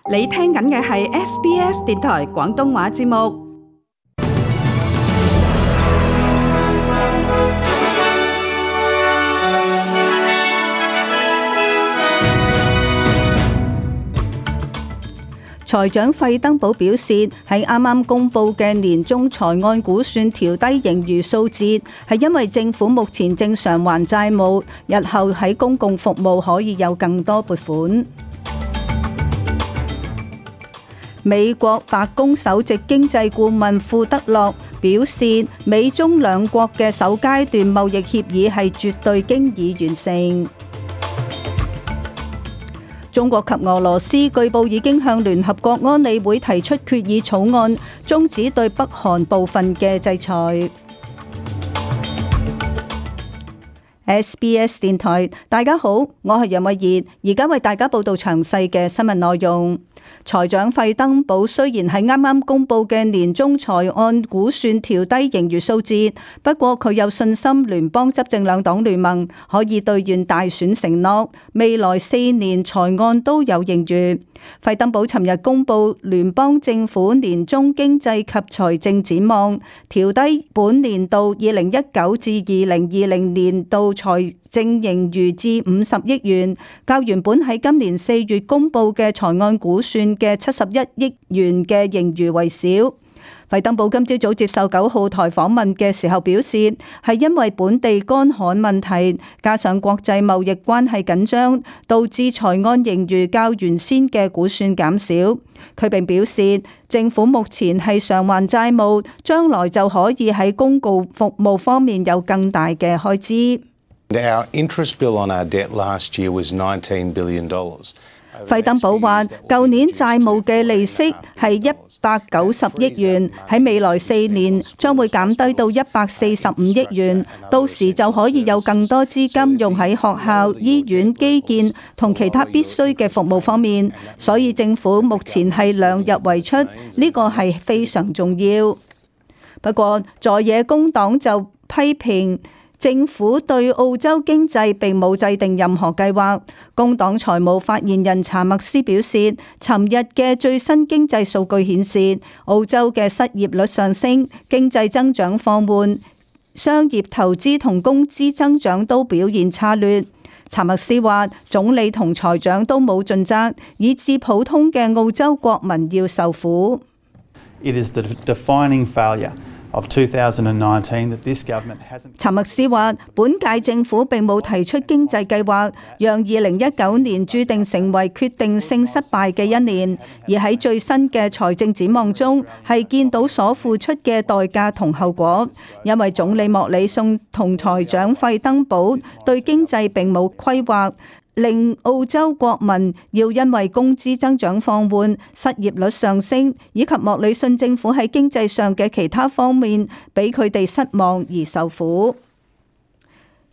你聽緊嘅係 SBS 電台廣東話節目。財長費登堡表示，喺啱啱公布嘅年中財案估算調低盈餘數字，係因為政府目前正償還債務，日後喺公共服務可以有更多撥款。美國白宮首席經濟顧問庫德洛表示，美中兩國嘅首階段貿易協議係絕對經已完成。中國及俄羅斯據報已經向聯合國安理會提出決議草案，終止對北韓部分嘅制裁。SBS 電台，大家好，我係楊慧儀，而家為大家報道詳細嘅新聞內容。財長費登堡雖然喺啱啱公布嘅年中財案估算調低盈餘數字，不過佢有信心聯邦執政兩黨聯盟可以兌現大選承諾，未來4年財案都有盈餘。費登堡尋日公布聯邦政府年中經濟及財政展望，調低本年度2019至2020年度財政盈餘至50億元，較原本喺今年4月公布嘅財案估算嘅71億元嘅盈餘為少。費登堡今朝早接受9號台訪問嘅時候表示，係因為本地乾旱問題，加上國際貿易關係緊張，導致財案盈餘較原先嘅估算減少。佢並表示，政府目前係償還債務，將來就可以喺公共服務方面有更大嘅開支。Our interest bill on our debt last year was $19 billion. 費登堡話，舊年債務嘅利息係190億元，喺未來4年將會減低到145億元，到時就可以有更多資金用喺學校、醫院、基建同其他必須嘅服務方面，所以政府目前係量入為出，呢個係非常重要。不過，在野工黨就批評政府對澳洲經濟並冇制定任何計劃。工黨財務發言人查默斯表示，尋日嘅最新經濟數據顯示，澳洲嘅失業率上升，經濟增長放緩，商業投資同工資增長都表現差劣。查默斯話，總理同財長都冇盡責，以致普通嘅澳洲國民要受苦。It is the defining failure of 2019 that this government hasn't. 查默斯話，本屆政府並冇提出經濟計劃，讓2019年注定成為決定性失敗嘅一年。而喺最新嘅財政展望中，係見到所付出嘅代價同後果。因為總理莫里遜同財長費登堡對經濟並冇規劃，令澳洲國民要因為工資增長放緩、失業率上升，以及莫里遜政府喺經濟上嘅其他方面俾佢哋失望而受苦。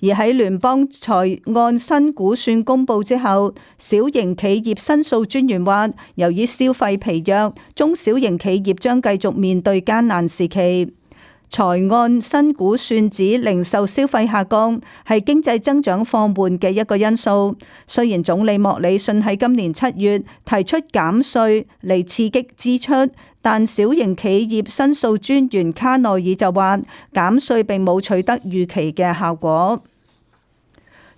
而喺聯邦財案新估算公佈之後，小型企業申訴專員話，由於消費疲弱，中小型企業將繼續面對艱難時期。財案新估算指零售消費下降係經濟增長放緩嘅一個因素。雖然總理莫里遜喺今年7月提出減稅嚟刺激支出，但小型企業申訴專員卡內爾就話，減稅並冇取得預期嘅效果。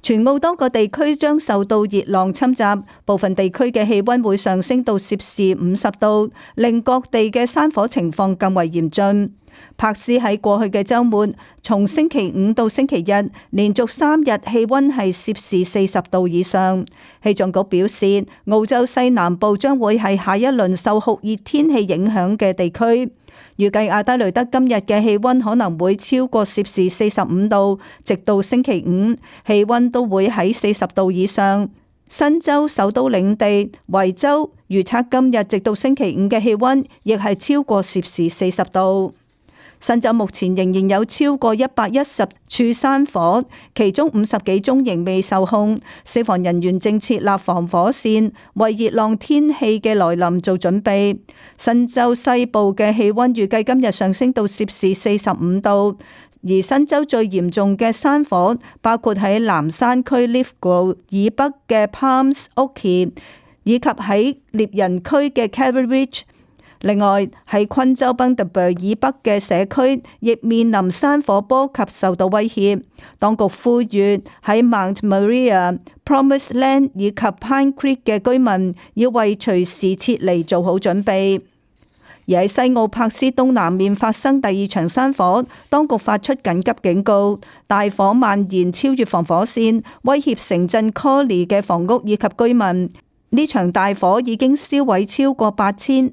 全澳多個地區將受到熱浪侵襲，部分地區嘅氣溫會上升到攝氏50度，令各地嘅山火情況更為嚴峻。柏斯喺過去嘅週末，從星期五到星期日，連續3日氣溫係攝氏40度以上。氣象局表示，澳洲西南部將會係下一輪受酷熱天氣影響嘅地區。預計阿德雷德今日嘅氣溫可能會超過攝氏45度，直到星期五，氣溫都會喺40度以上。新州首都領地維州預測今日直到星期五嘅氣溫亦係超過攝氏40度。新州目前仍然有超過110處山火，其中50幾宗仍未受控。消防人員正設立防火線，為熱浪天氣嘅來臨做準備。新州西部嘅氣溫預計今日上升到攝氏45度，而新州最嚴重嘅山火包括喺南山區 Lithgow 以北嘅 Palms Oakey，以及喺獵人區嘅 Carey Ridge。另外喺昆州賓特貝以北嘅社區亦面臨山火波及受到威脅。當局呼籲喺 Mount Maria、Promised Land 以及 Pine Creek 嘅居民要為隨時撤離做好準備。而喺西澳柏斯東南面發生第二場山火，當局發出緊急警告，大火蔓延超越防火線，威脅城鎮 Collie 嘅房屋以及居民。呢場大火已經燒毀超過8500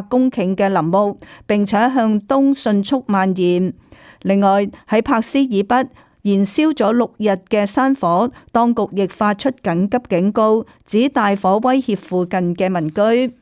公頃嘅林木，並且向東迅速蔓延。另外喺柏斯以北燃燒咗6日嘅山火，當局亦發出緊急警告，指大火威脅附近嘅民居。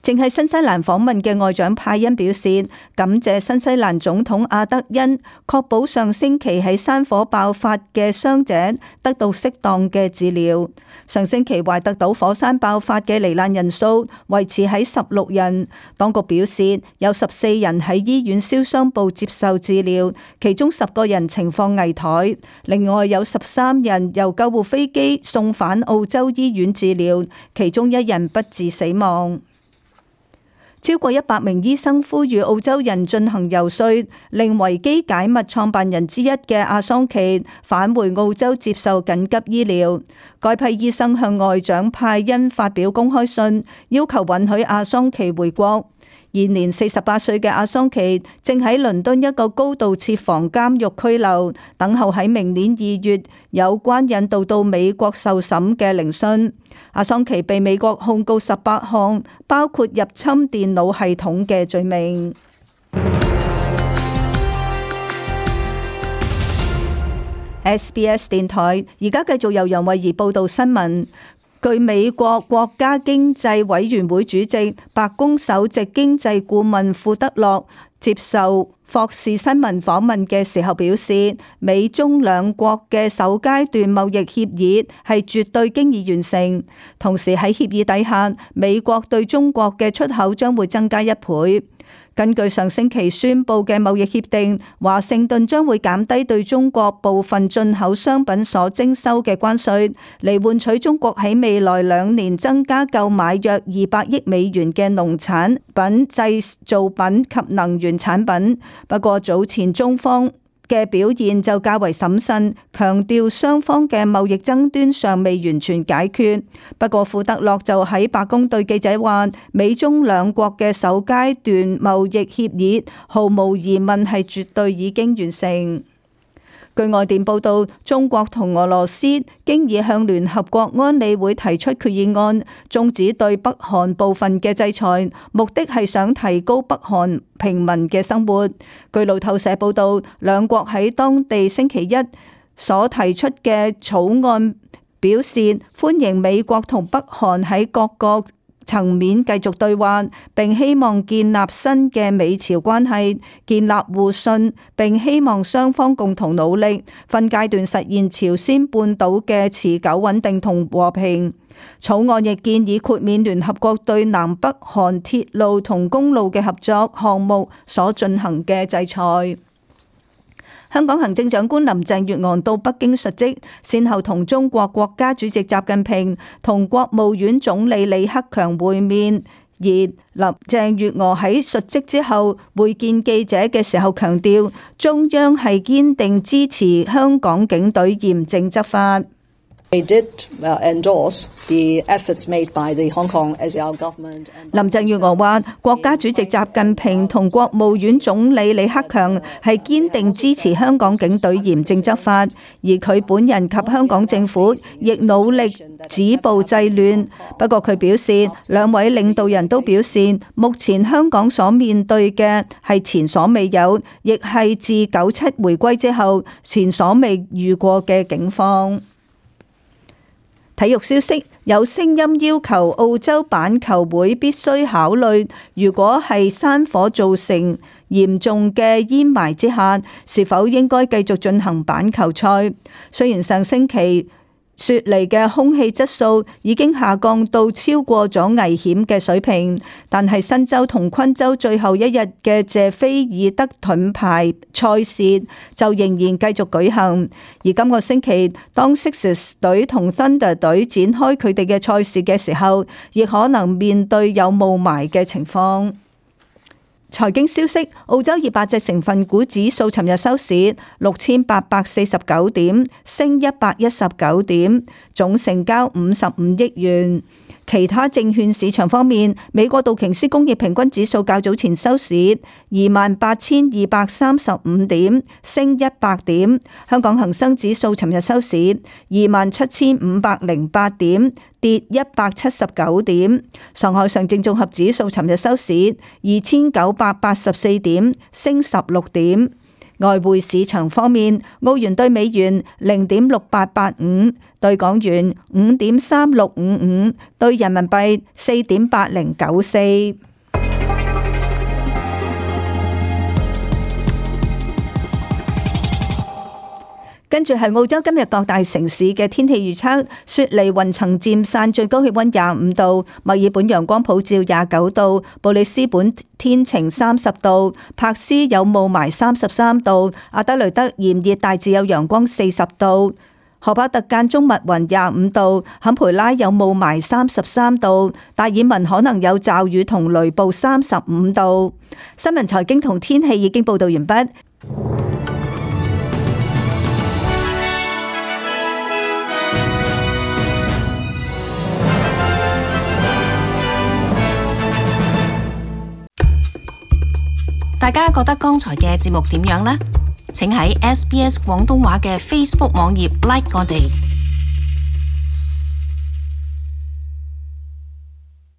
正係新西蘭訪問嘅外長派恩表示，感謝新西蘭總統阿德恩確保上星期喺山火爆發嘅傷者得到適當嘅治療。上星期懷特島火山爆發嘅罹難人數維持喺16人，當局表示有14人喺醫院燒傷部接受治療，其中10個人情況危殆，另外有13人由救護飛機送返澳洲醫院治療，其中1人不治死亡。超過100名醫生呼籲澳洲人進行遊說，令維基解密創辦人之一嘅阿桑奇返回澳洲接受緊急醫療。該批醫生向外長派恩發表公開信，要求允許阿桑奇回國。現年48歲嘅阿桑奇正喺倫敦一個高度設防監獄拘留，等候喺明年2月有關引渡到美國受審嘅聆訊。阿桑奇被美國控告18項，包括入侵電腦系統嘅罪名。SBS 電台而家繼續由楊慧儀報道新聞。據美國國家經濟委員會主席、白宮首席經濟顧問庫德洛接受霍士新聞訪問嘅時候表示，美中兩國嘅首階段貿易協議係絕對經已完成，同時喺協議底下，美國對中國嘅出口將會增加1倍。根據上星期宣布嘅貿易協定，華盛頓將會減低對中國部分進口商品所徵收嘅關稅，嚟換取中國喺未來2年增加購買約200億美元嘅農產品、製造品及能源產品。不過早前中方嘅表現就較為審慎，強調雙方嘅貿易爭端尚未完全解決。不過庫德洛就喺白宮對記者話，美中兩國嘅首階段貿易協議毫無疑問係絕對已經完成。據外電報道，中國同俄羅斯經已向聯合國安理會提出決議案，終止對北韓部分嘅制裁，目的係想提高北韓平民嘅生活。據路透社報道，兩國喺當地星期一所提出嘅草案表示，歡迎美國同北韓喺各個層面繼續對話，並希望建立新嘅美朝關係，建立互信，並希望雙方共同努力，分階段實現朝鮮半島嘅持久穩定同和平。草案亦建議豁免聯合國對南北韓鐵路同公路嘅合作項目所進行嘅制裁。香港行政長官林鄭月娥到北京述職，先後同中國國家主席習近平同國務院總理李克強會面。而林鄭月娥喺述職之後會見記者嘅時候強調，中央係堅定支持香港警隊嚴正執法。林鄭月娥話：國家主席習近平同國務院總理李克強係堅定支持香港警隊嚴正執法，而佢本人及香港政府亦努力止暴制亂。不過佢表示，兩位領導人都表示，目前香港所面對嘅係前所未有，亦係自97回歸之後前所未遇過嘅境況。體育消息，有聲音要求澳洲板球會必須考慮，如果係山火造成嚴重嘅煙霾之下，是否應該繼續進行板球賽。雖然上星期雪梨嘅空氣質素已經下降到超過咗危險嘅水平，但係新州同昆州最後一日嘅謝菲爾德盾牌賽事就仍然繼續舉行。而今個星期，當 Sixers 隊同 Thunder 隊展開佢哋嘅賽事嘅時候，亦可能面對有霧霾嘅情況。財經消息，澳洲200隻成分股指數尋日收市6849點，升119點，總成交55億元。其他證券市場方面，美國道瓊斯工業平均指數較早前收市28,235點，升100點。香港恒生指數尋日收市27,508點，跌179點。上海上證綜合指數尋日收市2,984點，升16點。外匯市場方面，澳元兌美元0.6885，兌港元5.3655，兌人民幣4.8094。跟住係澳洲今日各大城市嘅天氣預測：雪梨雲層漸散，最高氣溫25度；墨爾本陽光普照29度；布里斯本天晴30度；珀斯有霧霾33度；阿德雷德炎熱大致有陽光40度；荷巴特間中密雲25度；坎培拉有霧霾33度；達爾文可能有驟雨同雷暴35度。新聞財經同天氣已經報道完畢。大家覺得剛才嘅節目點樣呢？請喺SBS 廣東話嘅 Facebook 網頁 like 我哋。